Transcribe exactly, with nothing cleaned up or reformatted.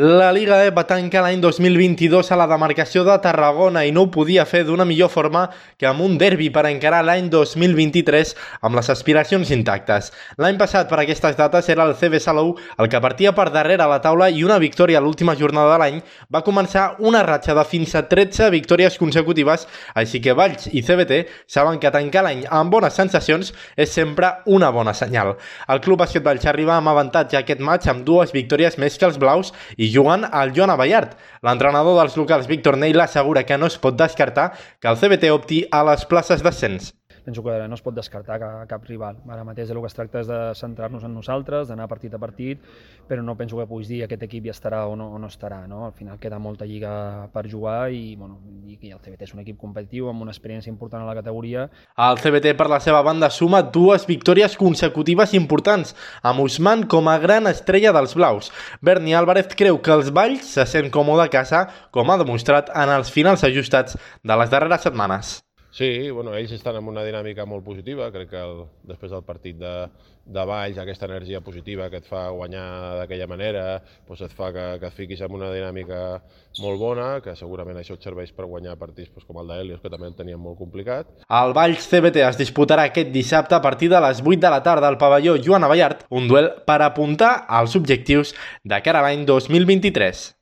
La Liga E va tancar l'any dos mil vint-i-dos a la demarcació de Tarragona i no ho podia fer d'una millor forma que amb un derbi per encarar l'any dos mil vint-i-tres amb les aspiracions intactes. L'any passat per aquestes dates era el C B Salou el que partia per darrere a la taula i una victòria a l'última jornada de l'any va començar una ratxa de fins a tretze victòries consecutives, així que Valls i C B T saben que tancar l'any amb bones sensacions és sempre una bona senyal. El Club Bàsquet Valls arriba amb avantatge a aquest matx amb dues victòries més que els blaus i jugant al Joan Abellart. L'entrenador dels locals, Víctor Neil, assegura que no es pot descartar que el C B T opti a les places d'ascens. Penso que no es pot descartar cap, cap rival. Ara mateix el que es tracta és de centrar-nos en nosaltres, d'anar partit a partit, però no penso que puguis dir aquest equip ja estarà o no, o no estarà. No? Al final queda molta lliga per jugar i, bueno, i el C B T és un equip competitiu amb una experiència important a la categoria. El C B T, per la seva banda, suma dues victòries consecutives importants, amb Usman com a gran estrella dels blaus. Berni Álvarez creu que els Valls se sent còmode a casa, com ha demostrat en els finals ajustats de les darreres setmanes. Sí, bueno, ells estan en una dinàmica molt positiva, crec que el, després del partit de, de Valls, aquesta energia positiva que et fa guanyar d'aquella manera, doncs et fa que, que et fiquis en una dinàmica molt bona, que segurament això et serveix per guanyar partits doncs, com el d'Helios, que també el tenien molt complicat. El Valls C B T es disputarà aquest dissabte a partir de les vuit de la tarda al pavelló Joan Abellart, un duel per apuntar als objectius de cara a l'any dos mil vint-i-tres.